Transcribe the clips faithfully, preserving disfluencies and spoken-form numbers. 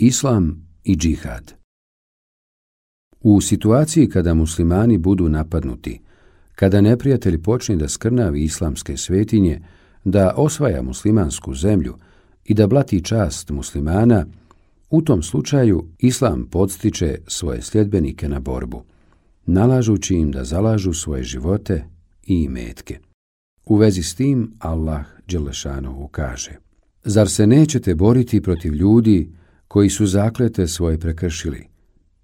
Islam i džihad. U situaciji kada muslimani budu napadnuti, kada neprijatelj počne da skrnavi islamske svetinje, da osvaja muslimansku zemlju i da blati čast muslimana, u tom slučaju Islam podstiče svoje sljedbenike na borbu, nalažući im da zalažu svoje živote i imetke. U vezi s tim Allah dželešanohu kaže: Zar se nećete boriti protiv ljudi koji su zaklete svoje prekršili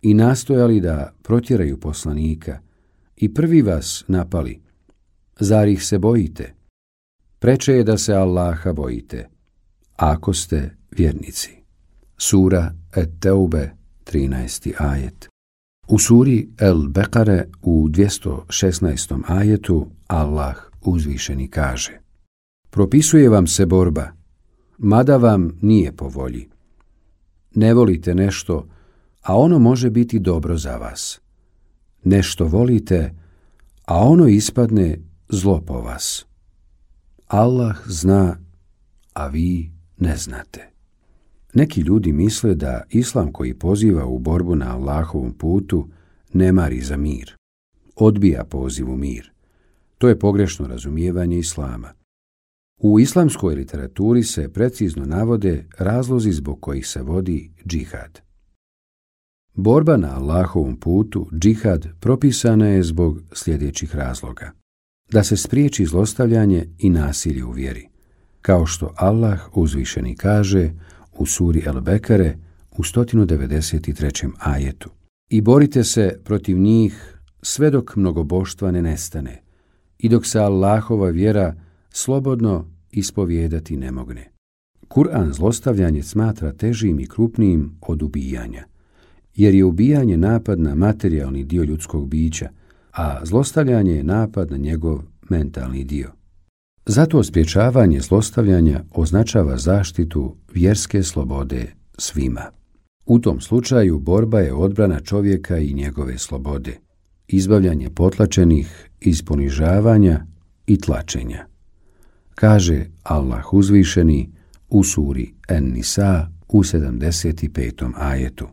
i nastojali da protjeraju poslanika i prvi vas napali? Zar ih se bojite? Preče je da se Allaha bojite, ako ste vjernici. Sura Et-Teube, trinaesti ajet. U suri El-Bekare u dvjesto šesnaestom ajetu Allah uzvišeni kaže: Propisuje vam se borba, mada vam nije po volji. Ne volite nešto, a ono može biti dobro za vas. Nešto volite, a ono ispadne zlo po vas. Allah zna, a vi ne znate. Neki ljudi misle da Islam koji poziva u borbu na Allahovom putu ne mari za mir. Odbija poziv u mir. To je pogrešno razumijevanje Islama. U islamskoj literaturi se precizno navode razlozi zbog kojih se vodi džihad. Borba na Allahovom putu, džihad, propisana je zbog sljedećih razloga: da se spriječi zlostavljanje i nasilje u vjeri, kao što Allah uzvišeni kaže u suri El-Bekare u sto devedeset trećem ajetu: I borite se protiv njih sve dok mnogoboštva ne nestane i dok se Allahova vjera slobodno ispovijedati ne mogne. Kur'an zlostavljanje smatra težim i krupnijim od ubijanja, jer je ubijanje napad na materijalni dio ljudskog bića, a zlostavljanje je napad na njegov mentalni dio. Zato sprječavanje zlostavljanja označava zaštitu vjerske slobode svima. U tom slučaju borba je odbrana čovjeka i njegove slobode, izbavljanje potlačenih iz ponižavanja i tlačenja. Kaže Allah uzvišeni u suri En-Nisa u sedamdeset petom ajetu: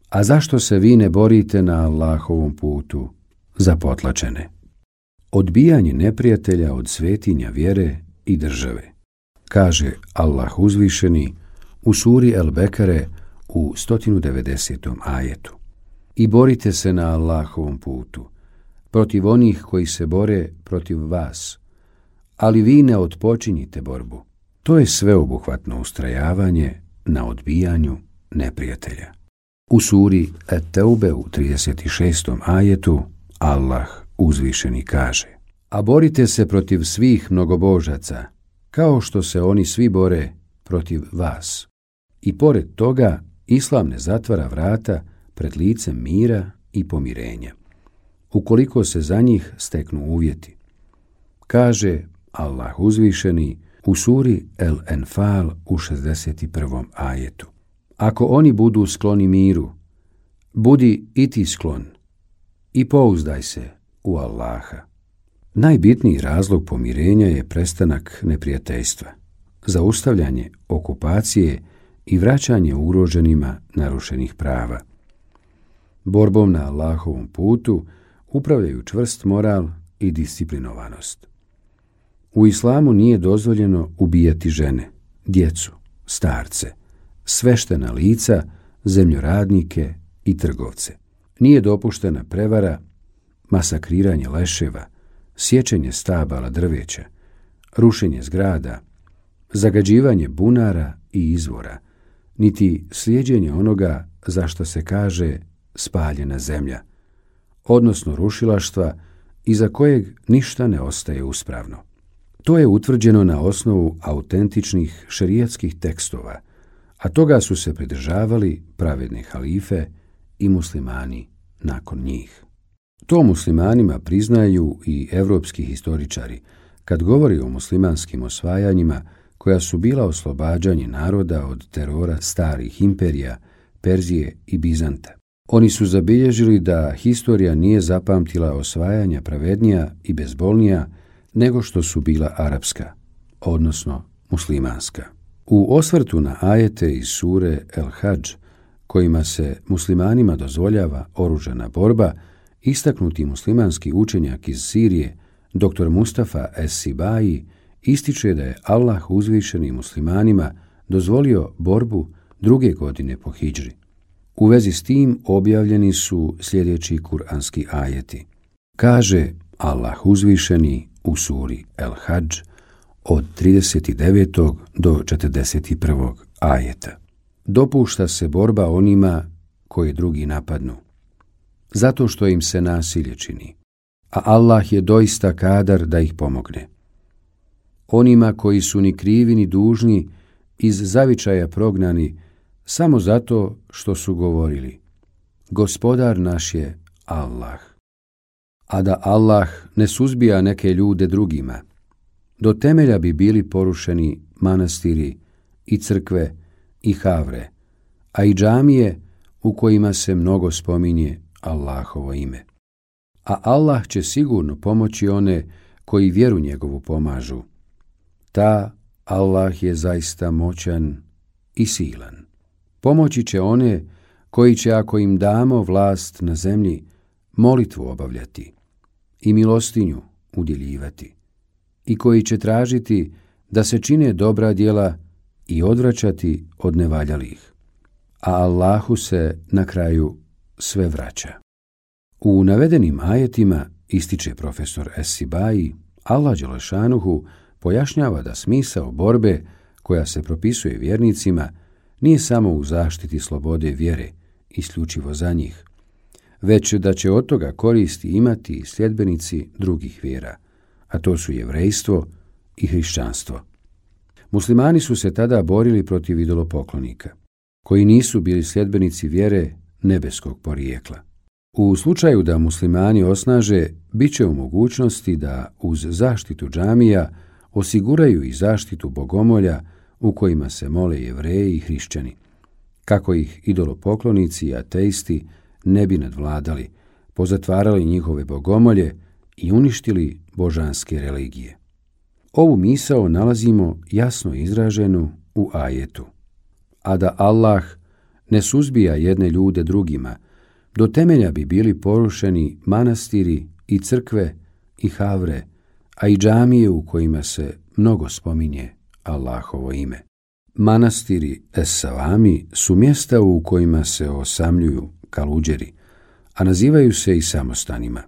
A zašto se vi ne borite na Allahovom putu za potlačene? Odbijanje neprijatelja od svetinja vjere i države. Kaže Allah uzvišeni u suri El-Bekare u sto devedesetom ajetu: I borite se na Allahovom putu protiv onih koji se bore protiv vas, ali vi ne otpočinjite borbu. To je sveobuhvatno ustrajavanje na odbijanju neprijatelja. U suri Et-Teube u trideset šestom ajetu Allah uzvišeni kaže: A borite se protiv svih mnogobožaca, kao što se oni svi bore protiv vas. I pored toga, Islam ne zatvara vrata pred licem mira i pomirenja, ukoliko se za njih steknu uvjeti. Kaže Allah uzvišeni u suri El-Enfal u šezdeset prvom ajetu: Ako oni budu skloni miru, budi i ti sklon i pouzdaj se u Allaha. Najbitniji razlog pomirenja je prestanak neprijateljstva, zaustavljanje okupacije i vraćanje ugroženima narušenih prava. Borbom na Allahovom putu upravljaju čvrst moral i disciplinovanost. U islamu nije dozvoljeno ubijati žene, djecu, starce, sveštena lica, zemljoradnike i trgovce. Nije dopuštena prevara, masakriranje leševa, sječenje stabala drveća, rušenje zgrada, zagađivanje bunara i izvora, niti slijeđenje onoga za što se kaže spaljena zemlja, odnosno rušilaštva iza kojeg ništa ne ostaje uspravno. To je utvrđeno na osnovu autentičnih šerijatskih tekstova, a toga su se pridržavali pravedne halife i muslimani nakon njih. To muslimanima priznaju i evropski historičari kad govori o muslimanskim osvajanjima koja su bila oslobađanje naroda od terora starih imperija, Perzije i Bizanta. Oni su zabilježili da historija nije zapamtila osvajanja pravednija i bezbolnija nego što su bila arapska, odnosno muslimanska. U osvrtu na ajete iz sure El-Hadž kojima se muslimanima dozvoljava oružana borba, istaknuti muslimanski učenjak iz Sirije, doktor Mustafa Es-Sibai, ističe da je Allah uzvišeni muslimanima dozvolio borbu druge godine po hidžri. U vezi s tim objavljeni su sljedeći kuranski ajeti. Kaže Allah uzvišeni u suri El-Hadž od trideset devetog do četrdeset prvog ajeta. Dopušta se borba onima koji drugi napadnu, zato što im se nasilje čini, a Allah je doista kadar da ih pomogne. Onima koji su ni krivi ni dužni iz zavičaja prognani samo zato što su govorili: Gospodar naš je Allah. A da Allah ne suzbija neke ljude drugima, do temelja bi bili porušeni manastiri i crkve i havre, a i džamije u kojima se mnogo spominje Allahovo ime. A Allah će sigurno pomoći one koji vjeru njegovu pomažu. Ta Allah je zaista moćan i silan. Pomoći će one koji će, ako im damo vlast na zemlji, molitvu obavljati i milostinju udjeljivati, i koji će tražiti da se čine dobra djela i odvraćati od nevaljalih. A Allahu se na kraju sve vraća. U navedenim ajetima, ističe profesor Es-Sibai, Allah dželešanuhu pojašnjava da smisao borbe koja se propisuje vjernicima nije samo u zaštiti slobode vjere, isključivo za njih, već da će od toga koristi imati i sljedbenici drugih vjera, a to su jevrejstvo i hrišćanstvo. Muslimani su se tada borili protiv idolopoklonika, koji nisu bili sljedbenici vjere nebeskog porijekla. U slučaju da muslimani osnaže, bit će u mogućnosti da uz zaštitu džamija osiguraju i zaštitu bogomolja u kojima se mole Jevreji i hrišćani, kako ih idolopoklonici i ateisti ne bi nadvladali, pozatvarali njihove bogomolje i uništili božanske religije. Ovu misao nalazimo jasno izraženu u ajetu. A da Allah ne suzbija jedne ljude drugima, do temelja bi bili porušeni manastiri i crkve i havre, a i džamije u kojima se mnogo spominje Allahovo ime. Manastiri Es-Savami su mjesta u kojima se osamljuju kaluđeri, a nazivaju se i samostanima.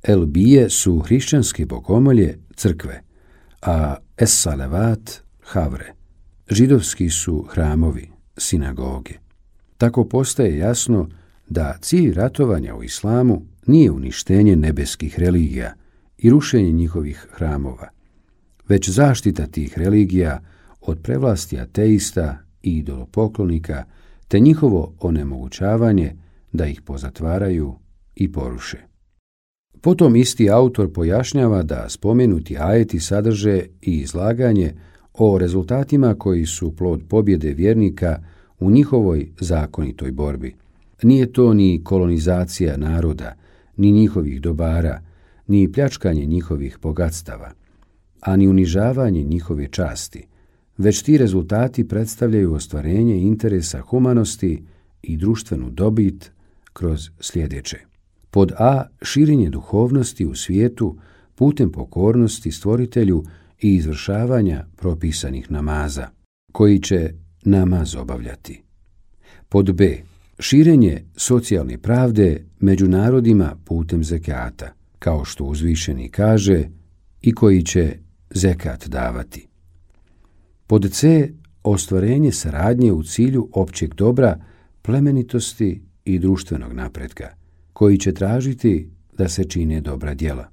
Elbije su hrišćanske bogomolje, crkve, a Es-Salavat havre. Židovski su hramovi, sinagoge. Tako postaje jasno da cilj ratovanja u islamu nije uništenje nebeskih religija i rušenje njihovih hramova, već zaštita tih religija od prevlasti ateista i idolopoklonika, te njihovo onemogućavanje da ih pozatvaraju i poruše. Potom isti autor pojašnjava da spomenuti ajeti sadrže i izlaganje o rezultatima koji su plod pobjede vjernika u njihovoj zakonitoj borbi. Nije to ni kolonizacija naroda, ni njihovih dobara, ni pljačkanje njihovih bogatstava, a ni unižavanje njihove časti, već ti rezultati predstavljaju ostvarenje interesa humanosti i društvenu dobit kroz sljedeće. Pod A. Širenje duhovnosti u svijetu putem pokornosti stvoritelju i izvršavanja propisanih namaza, koji će namaz obavljati. Pod B. Širenje socijalne pravde među narodima putem zekata, kao što uzvišeni kaže, i koji će zekat davati. Pod C. Ostvarenje saradnje u cilju općeg dobra, plemenitosti i društvenog napretka, koji će tražiti da se čine dobra djela.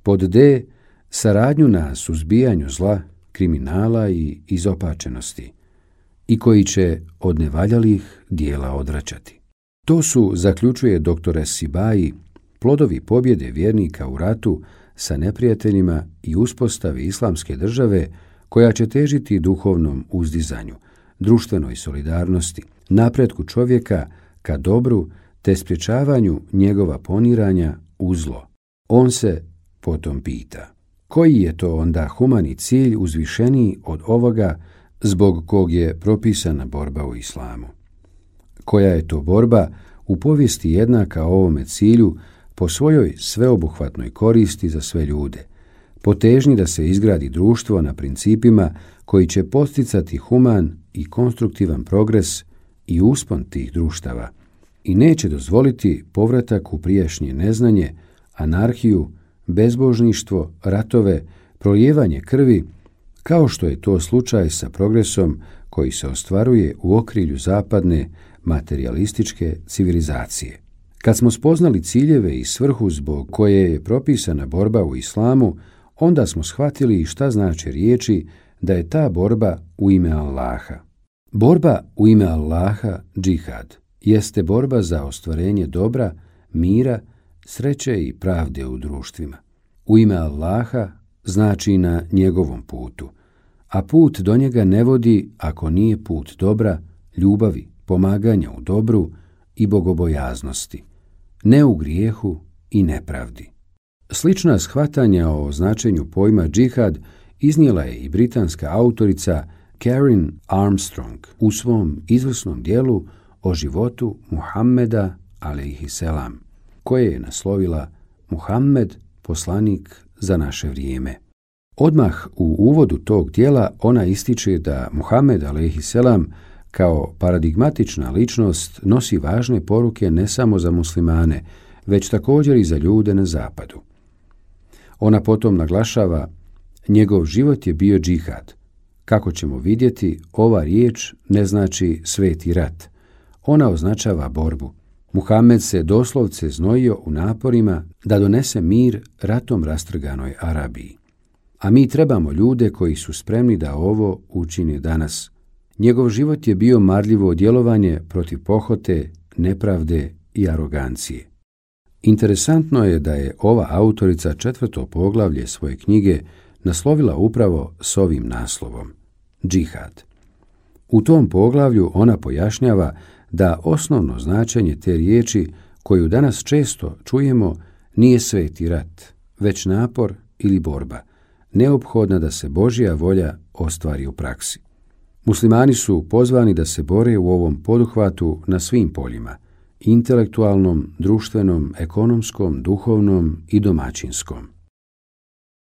Pod D. Saradnju na suzbijanju zla, kriminala i izopačenosti, i koji će od nevaljalih dijela odvraćati. To su, zaključuje doktor Es-Sibai, plodovi pobjede vjernika u ratu sa neprijateljima i uspostavi islamske države koja će težiti duhovnom uzdizanju, društvenoj solidarnosti, napretku čovjeka ka dobru te sprječavanju njegova poniranja u zlo. On se potom pita: koji je to onda humani cilj uzvišeniji od ovoga zbog kog je propisana borba u islamu? Koja je to borba u povijesti jednaka ovome cilju po svojoj sveobuhvatnoj koristi za sve ljude, po težnji da se izgradi društvo na principima koji će posticati human i konstruktivan progres i uspon tih društava i neće dozvoliti povratak u prijašnje neznanje, anarhiju, bezbožništvo, ratove, prolijevanje krvi, kao što je to slučaj sa progresom koji se ostvaruje u okrilju zapadne materijalističke civilizacije. Kad smo spoznali ciljeve i svrhu zbog koje je propisana borba u islamu, onda smo shvatili šta znači riječi da je ta borba u ime Allaha. Borba u ime Allaha, džihad, jeste borba za ostvarenje dobra, mira, sreće i pravde u društvima. U ime Allaha znači na njegovom putu, a put do njega ne vodi ako nije put dobra, ljubavi, pomaganja u dobru i bogobojaznosti, ne u grijehu i nepravdi. Slična shvatanja o značenju pojma džihad iznijela je i britanska autorica Karen Armstrong u svom izvrsnom dijelu o životu Muhammeda alejhiselam, koje je naslovila Muhammed, poslanik za naše vrijeme. Odmah u uvodu tog dijela ona ističe da Muhammed alejhiselam kao paradigmatična ličnost nosi važne poruke ne samo za muslimane, već također i za ljude na zapadu. Ona potom naglašava, njegov život je bio džihad. Kako ćemo vidjeti, ova riječ ne znači sveti rat. Ona označava borbu. Muhammed se doslovce znojio u naporima da donese mir ratom rastrganoj Arabiji. A mi trebamo ljude koji su spremni da ovo učine danas. Njegov život je bio marljivo djelovanje protiv pohote, nepravde i arogancije. Interesantno je da je ova autorica četvrto poglavlje svoje knjige naslovila upravo s ovim naslovom – džihad. U tom poglavlju ona pojašnjava da osnovno značenje te riječi koju danas često čujemo nije sveti rat, već napor ili borba, neophodna da se Božja volja ostvari u praksi. Muslimani su pozvani da se bore u ovom poduhvatu na svim poljima, intelektualnom, društvenom, ekonomskom, duhovnom i domaćinskom.